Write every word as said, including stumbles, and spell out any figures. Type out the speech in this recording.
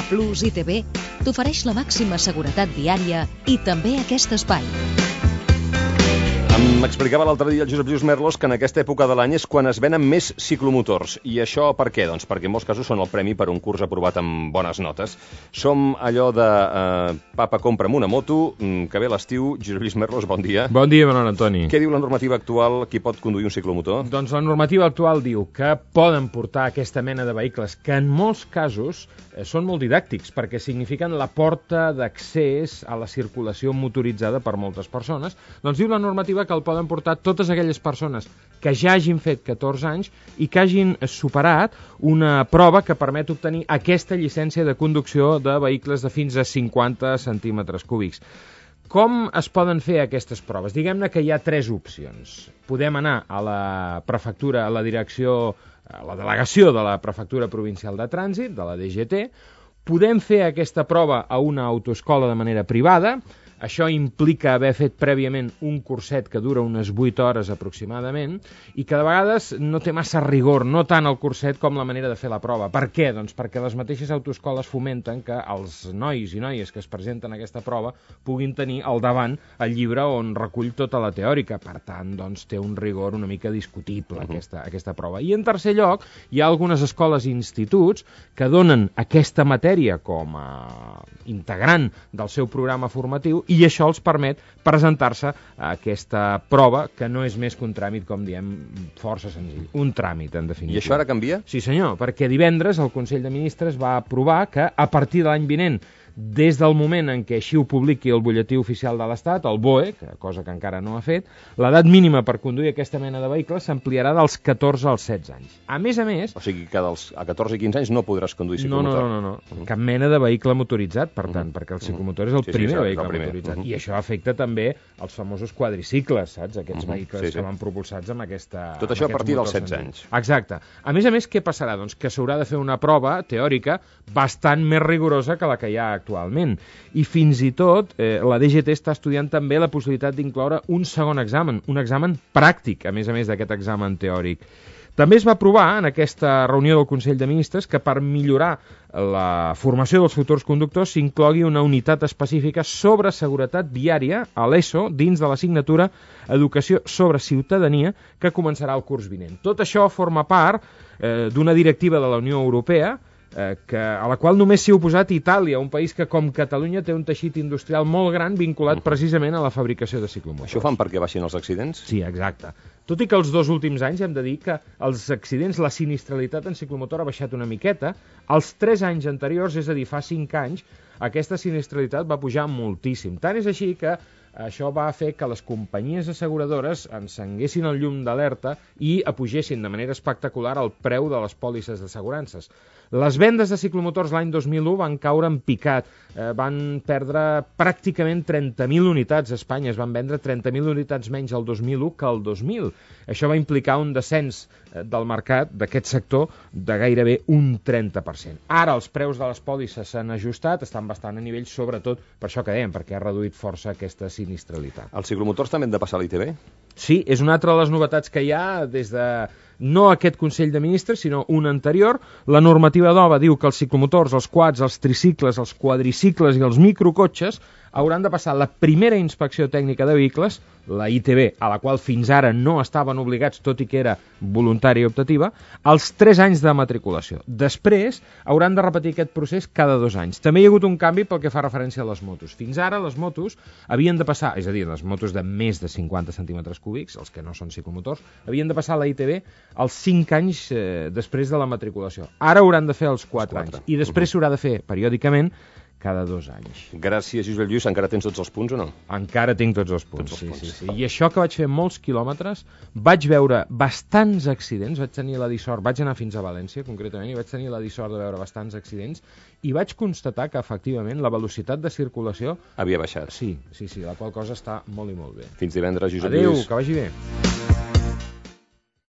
Plus I T B t'ofereix la màxima seguretat viària i també aquest espai. M'explicava l'altre dia el Josep Lluís Merlos que en aquesta època de l'any és quan es venen més ciclomotors. I això per què? Doncs perquè en molts casos són el premi per un curs aprovat amb bones notes. Som allò de eh, papa, compra'm una moto, que ve l'estiu. Josep Lluís Merlos, bon dia. Bon dia, Manuel Antoni. Què diu la normativa actual? Qui pot conduir un ciclomotor? Doncs la normativa actual diu que poden portar aquesta mena de vehicles que en molts casos eh, són molt didàctics perquè signifiquen la porta d'accés a la circulació motoritzada per moltes persones. Doncs diu la normativa que el poden portar totes aquelles persones que ja hagin fet catorze anys i que hagin superat una prova que permet obtenir aquesta llicència de conducció de vehicles de fins a cinquanta centímetres cúbics. Com es poden fer aquestes proves? Diguem-ne que hi ha tres opcions. Podem anar a la prefectura, a la direcció, a la delegació de la Prefectura Provincial de Trànsit, de la D G T, podem fer aquesta prova a una autoescola de manera privada. Això implica haver fet prèviament un curset que dura unes vuit hores aproximadament i que de vegades no té massa rigor, no tant el curset com la manera de fer la prova. Per què? Doncs perquè les mateixes autoescoles fomenten que els nois i noies que es presenten a aquesta prova puguin tenir al davant el llibre on recull tota la teòrica. Per tant, doncs, té un rigor una mica discutible uh-huh. aquesta, aquesta prova. I en tercer lloc, hi ha algunes escoles i instituts que donen aquesta matèria com a integrant del seu programa formatiu i això els permet presentar-se a aquesta prova, que no és més que un tràmit, com diem, força senzill. Un tràmit, en definitiva. I això ara canvia? Sí, senyor, perquè divendres el Consell de Ministres va aprovar que a partir de l'any vinent, des del moment en què així ho publiqui el butlletí oficial de l'Estat, el B O E, que cosa que encara no ha fet, l'edat mínima per conduir aquesta mena de vehicles s'ampliarà dels catorze als setze anys. A més a més... O sigui que dels, a catorze i quinze anys no podràs conduir ciclomotor. No, no, no, no, no. Cap mena de vehicle motoritzat, per tant, uh-huh. perquè el ciclomotor és el sí, primer sí, vehicle el primer. motoritzat. Uh-huh. I això afecta també els famosos quadricicles, saps? Aquests uh-huh. vehicles sí, sí. que van propulsats amb aquesta... Tot això a partir dels setze anys. Exacte. A més a més, què passarà? Doncs que s'haurà de fer una prova teòrica bastant més rigorosa que la que hi ha actualment. I fins i tot eh, la D G T està estudiant també la possibilitat d'incloure un segon examen, un examen pràctic, a més a més d'aquest examen teòric. També es va aprovar en aquesta reunió del Consell de Ministres que per millorar la formació dels futurs conductors s'inclogui una unitat específica sobre seguretat viària a l'ESO dins de l'assignatura Educació sobre Ciutadania que començarà el curs vinent. Tot això forma part eh, d'una directiva de la Unió Europea Eh, que, a la qual només s'hi ha oposat Itàlia, un país que com Catalunya té un teixit industrial molt gran vinculat uh-huh. precisament a la fabricació de ciclomotors. Això fan perquè baixin els accidents? Sí, exacte. Tot i que els dos últims anys hem de dir que els accidents, la sinistralitat en ciclomotor ha baixat una miqueta, els tres anys anteriors, és a dir, fa cinc anys, aquesta sinistralitat va pujar moltíssim. Tant és així que això va fer que les companyies asseguradores encenguessin el llum d'alerta i apugessin de manera espectacular el preu de les pòlisses d'assegurances. Les vendes de ciclomotors l'any dos mil u van caure en picat, eh, van perdre pràcticament trenta mil unitats a Espanya, es van vendre trenta mil unitats menys el dos mil u que el dos mil. Això va implicar un descens eh, del mercat d'aquest sector de gairebé un trenta per cent. Ara els preus de les pòlisses s'han ajustat, estan bastant a nivell, sobretot per això que dèiem, perquè ha reduït força aquesta sinistralitat. Els ciclomotors també han de passar a l'I T B? Sí, és una altra de les novetats que hi ha des de no aquest Consell de Ministres, sinó un anterior. La normativa nova diu que els ciclomotors, els quads, els tricicles, els quadricicles i els microcotxes hauran de passar la primera inspecció tècnica de vehicles, la I T B, a la qual fins ara no estaven obligats, tot i que era voluntària i optativa, als tres anys de matriculació. Després hauran de repetir aquest procés cada dos anys. També hi ha hagut un canvi pel que fa referència a les motos. Fins ara les motos havien de passar, és a dir, les motos de més de cinquanta centímetres cúbics, els que no són ciclomotors, havien de passar la I T B als cinc anys eh, després de la matriculació. Ara hauran de fer els quatre anys. I després s'haurà de fer periòdicament cada dos anys. Gràcies, Josep Lluís. Encara tens tots els punts o no? Encara tinc tots els punts, tots els sí, punts. sí, sí. I això que vaig fer molts quilòmetres, vaig veure bastants accidents, vaig tenir la dissort, vaig anar fins a València, concretament, i vaig tenir la dissort de veure bastants accidents, i vaig constatar que, efectivament, la velocitat de circulació... havia baixat. Sí, sí, sí, la qual cosa està molt i molt bé. Fins divendres, Josep Adéu, Lluís. que vagi bé.